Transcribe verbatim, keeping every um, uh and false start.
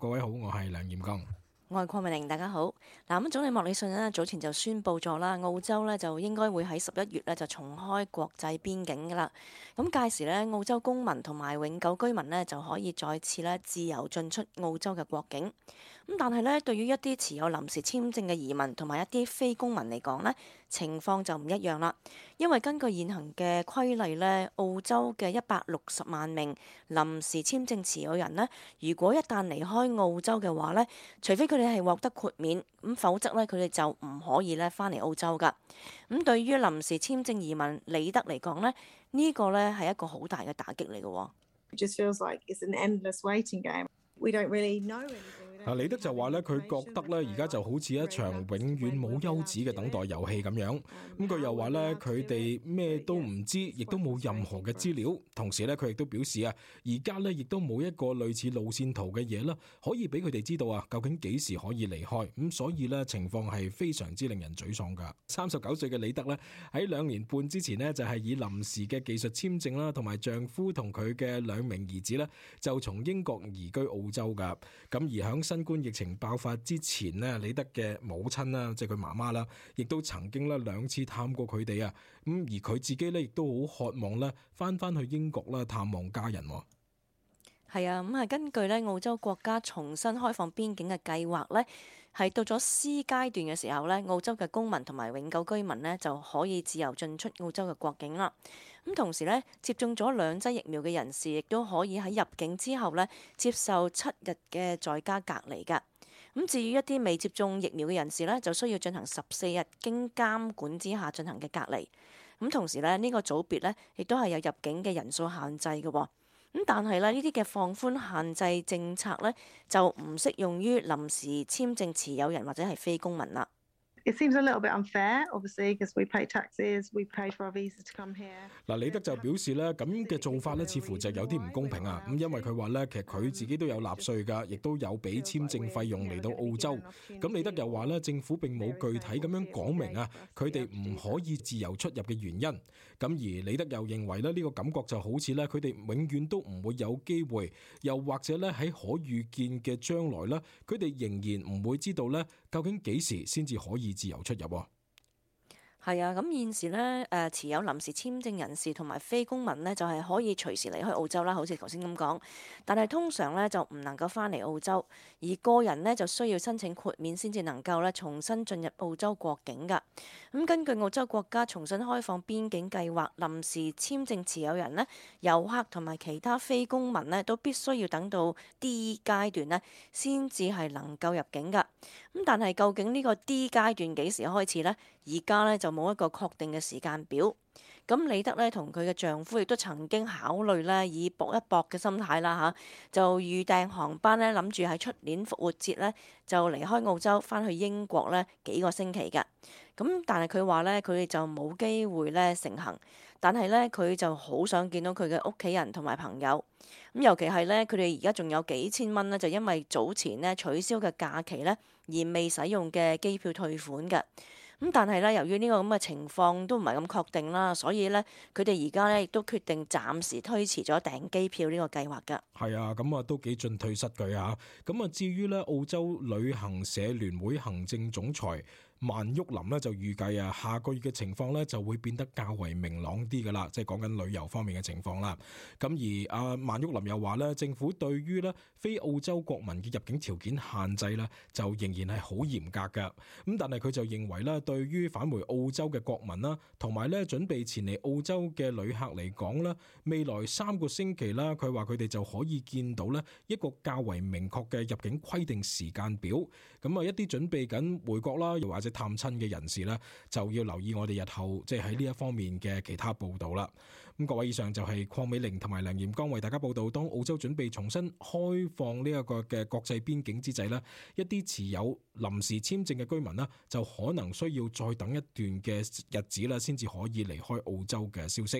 各位好，我係梁彥剛。我係鄺美玲，大家好。嗱，咁總理莫里遜呢早前就宣布咗啦，澳洲呢就應該會喺十一月呢就重開國際邊境噶啦。咁屆時呢，澳洲公民同埋永久居民呢就可以再次呢自由進出澳洲嘅國境。咁但係呢，對於一啲持有臨時簽證嘅移民同埋一啲非公民嚟講呢，情況就唔一樣啦。因為根據現行嘅規例呢，澳洲嘅一百六十萬名臨時簽證持有人呢，如果一旦離開澳洲嘅話呢，除非佢哋係獲得豁免，咁否則呢，佢哋就唔可以呢返嚟澳洲㗎。咁對於臨時簽證移民李德嚟講呢，呢個呢係一個好大嘅打擊嚟嘅。It just feels like it's an endless waiting game. We don't really know anything. 嗱，李德就話咧，佢覺得咧，而家就好似一場永遠冇休止嘅等待遊戲咁樣。咁佢又話咧，佢哋咩都唔知，亦都冇任何嘅資料。同時咧，佢亦都表示啊，而家咧亦都冇一個類似路線圖嘅嘢啦，可以俾佢哋知道啊，究竟幾時可以離開。咁所以咧，情況係非常之令人沮喪㗎。三十九歲嘅李德咧，喺兩年半之前呢，就係以臨時嘅技術簽證啦，同埋丈夫同佢嘅兩名兒子咧，就從英國移居澳洲㗎。咁而響新冠疫情爆發之前呢，李德嘅母親啦，即係佢媽媽啦，亦都曾經咧兩次探過佢哋啊。咁而佢自己咧，亦都好渴望咧翻翻去英國啦探望家人。係啊，咁係根據咧澳洲國家重新開放邊境嘅計劃呢，係到咗 C 階段嘅時候呢，澳洲嘅公民同埋永久居民呢就可以自由進出澳洲嘅國境啦。咁同時呢，接種咗兩劑疫苗嘅人士亦都可以喺入境之後呢接受七日嘅在家隔離㗎。咁至於一啲未接種疫苗嘅人士呢，就需要進行十四日經監管之下進行嘅隔離。咁同時呢，呢個組別呢亦都係有入境嘅人數限制嘅。咁但係咧，呢啲嘅放寬限制政策呢，就唔適用於臨時簽證持有人或者係非公民啦。It seems a little bit unfair, obviously, because we pay taxes, we pay for our visa to come here. 嗱，李德就表示咧，咁嘅做法咧，似乎就有啲唔公平啊！咁因為佢話咧，其實佢自己都有納稅㗎，亦都有俾簽證費用嚟到澳洲。咁李德又話咧，政府並冇具體咁樣講明啊，佢哋唔可以自由出入嘅原因。咁而李德又認為咧，呢個感覺就好似咧，佢哋永遠都唔會有機會，又或者咧喺可預見嘅將來咧，佢哋仍然唔會知道咧，究竟幾時先至可以自由出入。係啊，咁現時呢，誒持有臨時簽證人士同埋非公民呢，就係可以隨時離開澳洲啦，好似頭先咁講。但係通常呢，就唔能夠返嚟澳洲，而個人呢，就需要申請豁免先至能夠咧重新進入澳洲國境㗎。咁根據澳洲國家重新開放邊境計劃，臨時簽證持有人呢，遊客同埋其他非公民呢，都必須要等到 D 階段呢，先至係能夠入境㗎。咁但係究竟呢個 D 階段幾時開始呢？而家呢，就冇一個確定嘅時間表。咁李德呢，同佢嘅丈夫亦都曾經考慮呢，以搏一搏嘅心態啦嚇，就預訂航班呢，諗住喺出年復活節呢，就離開澳洲翻去英國呢幾個星期㗎。咁但係佢話呢，佢哋就冇機會呢成行。但係呢，佢就好想見到佢嘅屋企人同埋朋友。咁尤其係呢，佢哋而家仲有幾千蚊呢，就因為早前呢取消嘅假期呢，而未使用嘅機票退款㗎。咁但係咧，由於呢個咁嘅情況都唔係咁確定啦，所以咧佢哋而家咧亦都決定暫時推遲咗訂機票呢個計劃㗎。係啊，咁啊都幾進退失據啊！咁啊至於咧澳洲旅行社聯會行政總裁萬旭林呢，就預計啊，下個月嘅情況呢就會變得較為明朗啲噶啦，即係講緊旅遊方面嘅情況啦。咁而阿萬旭林又話呢，政府對於呢非澳洲國民嘅入境條件限制呢，就仍然係好嚴格噶。咁但係佢就認為呢，對於返回澳洲嘅國民啦，同埋呢準備前嚟澳洲嘅旅客嚟講呢，未來三個星期啦，佢話佢哋就可以見到呢一個較為明確嘅入境規定時間表。咁啊，一啲準備緊回國啦，又或者探親嘅人士呢，就要留意我哋日後即係喺呢一方面嘅其他報道啦。咁各位，以上就係鄺美玲同埋梁彥剛為大家報道。當澳洲準備重新開放呢一個嘅國際邊境之際呢，一啲持有臨時簽證嘅居民呢，就可能需要再等一段嘅日子啦，先至可以離開澳洲嘅消息。